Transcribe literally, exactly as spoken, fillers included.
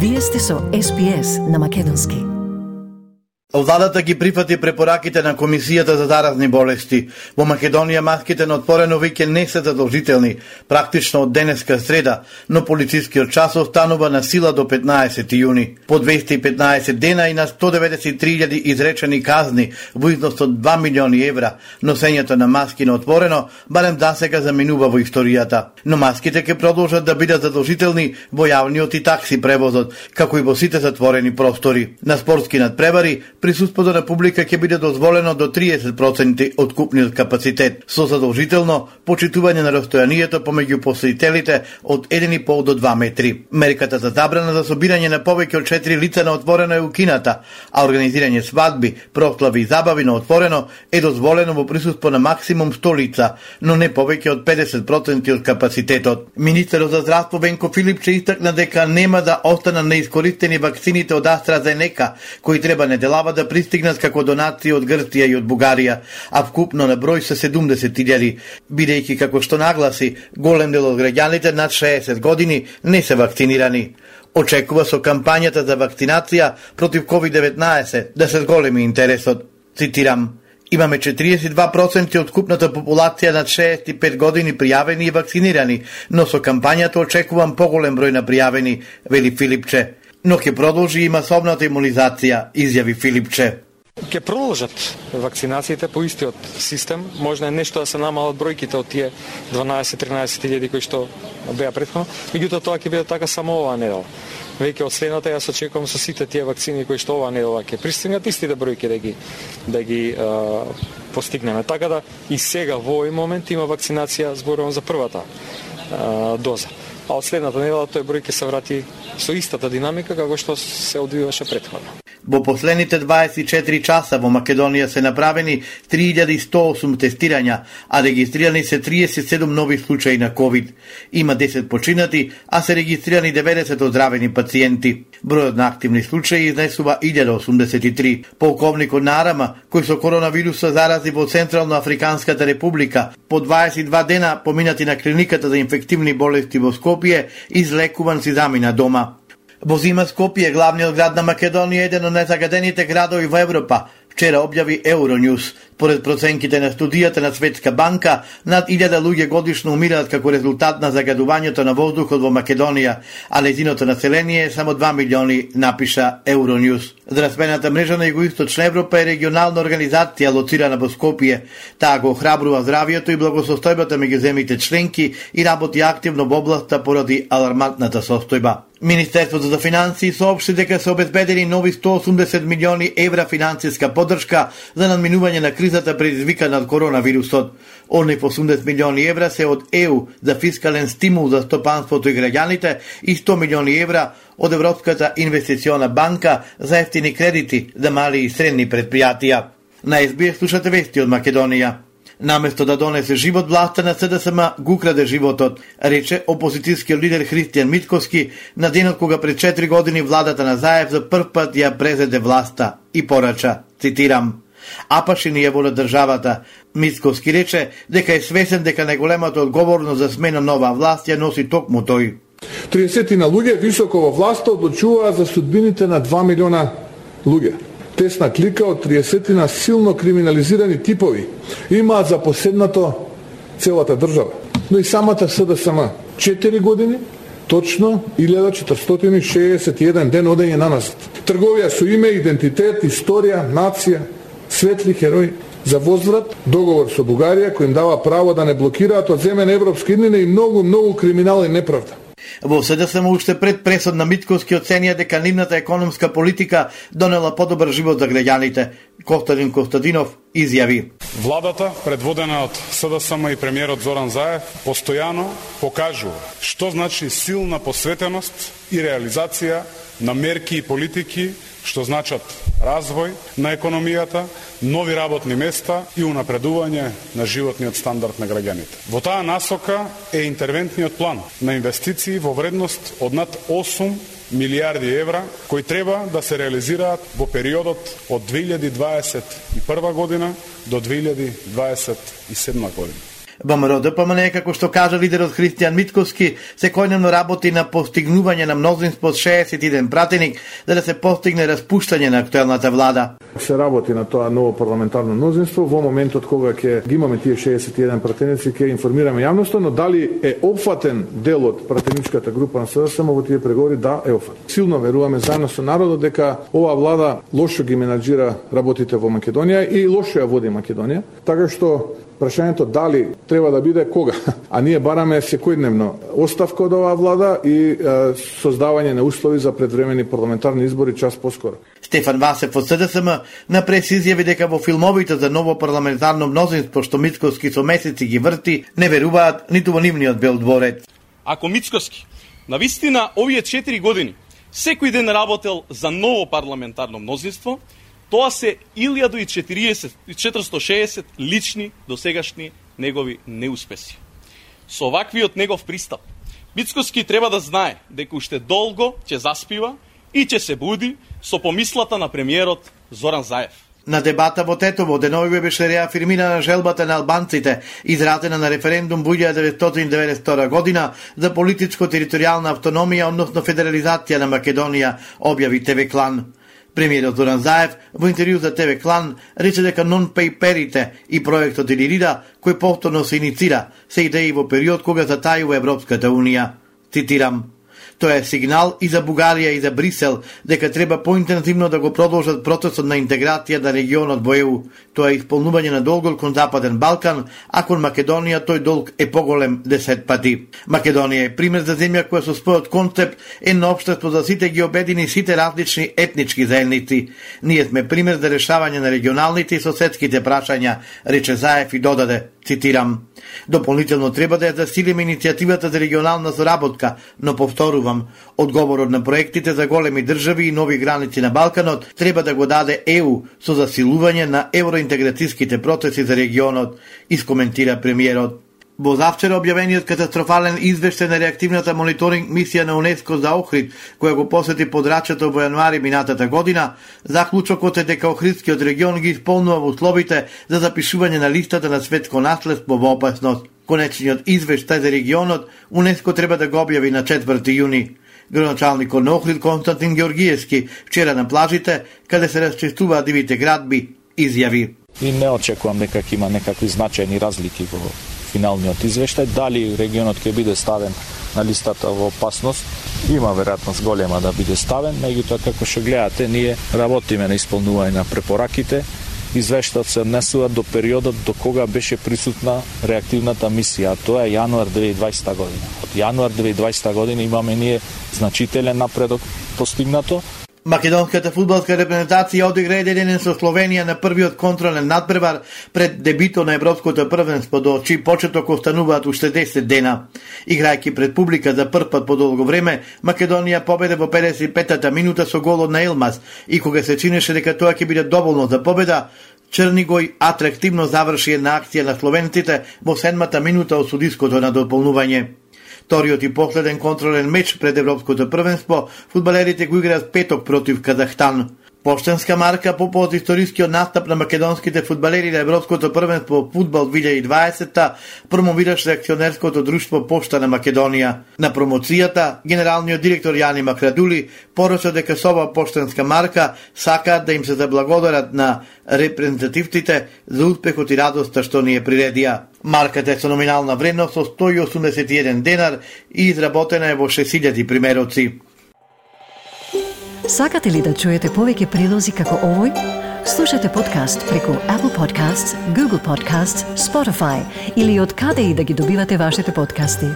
Вие сте со Ес Би Ес на македонски. Владата ги прифати препораките на Комисијата за заразни болести. Во Македонија маските на отворено веќе не се задолжителни, практично од денеска среда, но полицискиот час останува на сила до петнаесети јуни. По двесте и петнаесет дена и на сто деветдесет и три илјади изречени казни во износ од два милиони евра, носењето на маски на отворено барем дасега заминува во историјата. Но маските ќе продолжат да бидат задолжителни во јавниот и такси превозот, како и во сите затворени простори. На спортски надпревари присуството на публика ќе биде дозволено до триесет проценти од купниот капацитет, со задолжително почитување на растојанието помеѓу посетителите од еден и пол до два метри. Мерката за забрана за собирање на повеќе од четири лица на отворено е укината, а организирање свадби, прослави и забави на отворено е дозволено во присуство на максимум сто лица, но не повеќе од педесет проценти од капацитетот. Министерот за здравство Венко Филипче истакна дека нема да останат неискористени вакцините од AstraZeneca, кои треба неделава да пристигнат како донација од Грција и од Бугарија, а вкупно на број се седумдесет илјади, бидејќи како што нагласи, голем дел од граѓаните над шеесет години не се вакцинирани. Очекува со кампањата за вакцинација против ковид деветнаесет да се зголеми интересот. Цитирам: имаме четириесет и два проценти од купната популација над шеесет и пет години пријавени и вакцинирани, но со кампањата очекувам поголем број на пријавени, вели Филипче. Но ќе продолжи и масовната имунизација, изјави Филипче. Ќе продолжат вакцинациите по истиот систем, можна е нешто да се намалат бројките од тие дванаесет-тринаесет илјади кои што беа претходно, меѓутоа тоа ќе биде така само оваа недела. Веќе од следната јас очекувам со сите тие вакцини кои што оваа недела ќе пристигнат истите бројки да ги да ги а, постигнеме. Така да и сега во овој момент има вакцинација, зборувам за првата а, доза. А од следната недела тој број ќе се врати со истата динамика како што се одвиваше претходно. Во последните дваесет и четири часа во Македонија се направени три илјади сто и осум тестирања, а регистрирани се триесет и седум нови случаи на ковид. Има десет починати, а се регистрирани деветдесет оздравени пациенти. Бројот на активни случаи изнесува илјада осумдесет и три. Полковникот на Арама, кој со коронавирус се зарази во Централно Африканската република, по дваесет и два дена поминати на клиниката за инфективни болести во Скопје, излекуван си замина дома. Во зима Скопје, главниот град на Македонија, еден од најзагадените градови во Европа, вчера објави Euronews. Поред проценките на студијата на Светска банка, над илјада луѓе годишно умираат како резултат на загадувањето на воздухот во Македонија, а нејзиното население е само два милиони, напиша Euronews. Здравствената мрежа на Југоисточна Европа е регионална организација лоцирана во Скопје. Таа го охрабрува здравието и благосостојбата меѓу земјите членки и работи активно во областа поради алармантната состојба. Министерството за финансии соопшти дека се обезбедени нови сто и осумдесет милиони евра финансиска поддршка за надминување на кризата предизвикана од коронавирусот. Онив осумдесет милиони евра се од Е У за фискален стимул за стопанството и граѓаните и сто милиони евра од Европската инвестициона банка за ефтини кредити за мали и средни предпријатија. На Ес Би Ес слушате вести од Македонија. Наместо да донесе живот, власта на Се Де Ес Ем го украде животот, рече опозицијскиот лидер Христијан Митковски на денот кога пред четири години владата на Заев за прв пат ја презеде власта и порача, цитирам: апаши ни ја воля државата. Митковски рече дека е свесен дека најголемата одговорност за смена нова власт ја носи токму тој. триесет на луѓе високо во власта одлучуваат за судбините на два милиона луѓе. Тесна клика од триесет на силно криминализирани типови имаат за поседнато целата држава. Но и самата Се Де Ес Ем четири години, точно илјада четиристотини шеесет и еден ден одење на нас. Трговија со име, идентитет, историја, нација, светли херои за возврат, договор со Бугарија кој им дава право да не блокираат од земја на европски иднина и многу, многу криминал и неправда. Во Се Де Ес Ем уште пред пресод на Митковски оценија дека нивната економска политика донела подобар живот за граѓаните. Костадин Костадинов изјави: владата, предводена од Се Де Ес Ем и премиерот Зоран Заев, постојано покажува што значи силна посветеност и реализација на мерки и политики што значат развој на економијата, нови работни места и унапредување на животниот стандард на граѓаните. Во таа насока е интервентниот план на инвестиции во вредност од над осум милијарди евра, кои треба да се реализираат во периодот од две илјади дваесет и прва година до две илјади дваесет и седма година. ВМРО Д П М Н, како што кажа лидерот Христијан Митковски, секојдневно работи на постигнување на мнозинство од шеесет и еден пратеник, за да се постигне распуштање на актуелната влада. Се работи на тоа ново парламентарно мнозинство во моментот кога ќе ги имаме тие шеесет и еден пратеници, ќе информираме јавноста, но дали е опфатен дел од пратеничката група на С Д С М во тие преговори, да, е опфатен. Силно веруваме заедно со народот дека оваа влада лошо ги менаџира работите во Македонија и лошо ја води Македонија, така што прашањето дали треба да биде кога, а ние бараме секојдневно оставка од оваа влада и е, создавање на услови за предвремени парламентарни избори час поскоро. Стефан Васев од С Д С М на прес изјави дека во филмовите за ново парламентарно мнозинство што Мицковски со месеци ги врти, не веруваат ниту во нивниот Бел дворец. Ако Мицковски на вистина овие четири години секој ден работел за ново парламентарно мнозинство, тоа се илјада и четиристотини и шеесет лични досегашни негови неуспеси. Со оваквиот негов пристап, Мицковски треба да знае дека уште долго ќе заспива и ќе се буди со помислата на премиерот Зоран Заев. На дебата во Тетово деновиве беше реафирмирана желбата на албанците, изразена на референдум во илјада деветстотини деветдесет и втора година за политичко-територијална автономија, односно федерализација на Македонија, објави Т В Клан. Премиерот Зоран Заев во интервју за Т В Клан рече дека нон-пейперите и проектот Илирида, кој повторно се иницира, се идеи во период кога затајува Европската Унија. Цитирам: "Тоа е сигнал и за Бугарија и за Брисел дека треба поинтензивно да го продолжат процесот на интеграција на регионот во Е У. Тоа е исполнување на долгот кон Западен Балкан, а кон Македонија тој долг е поголем десет пати. Македонија е пример за земја која со својот концепт едно општество за сите ги обедини сите различни етнички заедници. Ние сме пример за решавање на регионалните и соседските прашања", рече Заев и додаде, цитирам: "Дополнително треба да ја засилиме иницијативата за регионална соработка, но повторувам, одговорот на проектите за големи држави и нови граници на Балканот треба да го даде Е У со засилување на евроинтеграцијските процеси за регионот", искоментира премиерот. Во завчера објавениот катастрофален извештај на реактивната мониторинг мисија на УНЕСКО за Охрид, која го посети подрачјето во јануари минатата година, заклучокот е дека Охридскиот регион ги исполнува условите за запишување на листата на светско наследство во опасност. Конечниот извештај за регионот УНЕСКО треба да го објави на четврти јуни. Градоначалникот на Охрид Константин Георгиевски вчера на плажите, каде се расчистуваат дивите градби, изјави: "И не очекувам дека ќе има некакви значајни разлики во финалниот извештај. Дали регионот ќе биде ставен на листата во опасност, има веројатност голема да биде ставен, меѓутоа како што гледате, ние работиме на исполнување на препораките. Извештајот се однесува до периодот до кога беше присутна реактивната мисија, а тоа е јануар две илјади и дваесета година. Од јануар две илјади и дваесета година имаме ние значителен напредок постигнато. Македонската фудбалска репрезентација одигра еден ден со Словенија на првиот контролен надпревар пред дебито на Европското првенство, до чиј почеток остануваат уште десет дена. Играјќи пред публика за прв пат по долго време, Македонија победе во педесет и петата минута со голот на Елмаз и кога се чинеше дека тоа ќе биде доволно за победа, Чернигој атрактивно заврши една акција на словенците во седмата минута од судиското надополнување. Вториот и последен контролен меч пред Европското првенство, фудбалерите го играат петок против Казахстан. Поштенска марка по повод историскиот настап на македонските фудбалери на Европското првенство фудбал две илјади и дваесета промовираше акционерското друштво Пошта на Македонија. На промоцијата, генералниот директор Јани Макрадули порача дека со оваа поштенска марка сакаат да им се заблагодарат на репрезентативците за успехот и радоста што ни е приредија. Марката е со номинална вредност со сто и осумдесет и еден денар и изработена е во шест илјади примероци. Сакате ли да чуете повеќе прилози како овој? Слушате подкаст преку Apple Podcasts, Google Podcasts, Spotify или од каде и да ги добивате вашите подкасти.